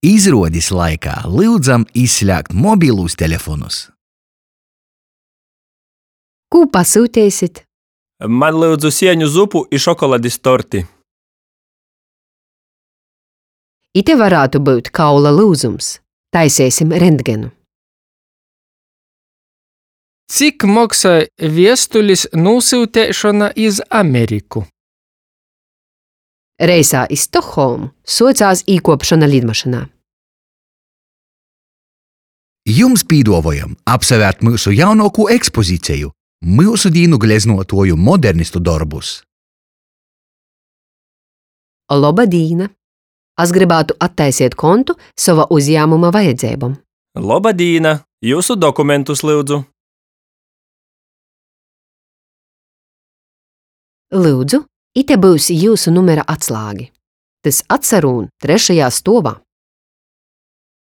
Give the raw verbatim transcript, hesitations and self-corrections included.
Izruodis laikā lyudzam izslēgt mobilūs telefonus. Kū pasyuteisit? Maņ lyudzu sieņu zupu i šokoladis torti. Ite varātu byut kaula lyuzums. Taiseisim rentgenu. Cik moksoj viestulis nūsyuteišona iz Ameriku? Reisā iz Stokholmu suocās īkuopšona lidmašynā. Jums pīduovojam apsavērt myusu jaunuokū ekspoziceju – myusu dīnu gleznuotuoju modernistu dorbus. Loba dīna! As grybātu attaisiet kontu sova uzjāmuma vajadzeibom. Loba dīna! Jiusu dokumentus, lyudzu! Lyudzu, ite byus jiusu numera atslāgi. Tys atsarūn trešajā stuovā.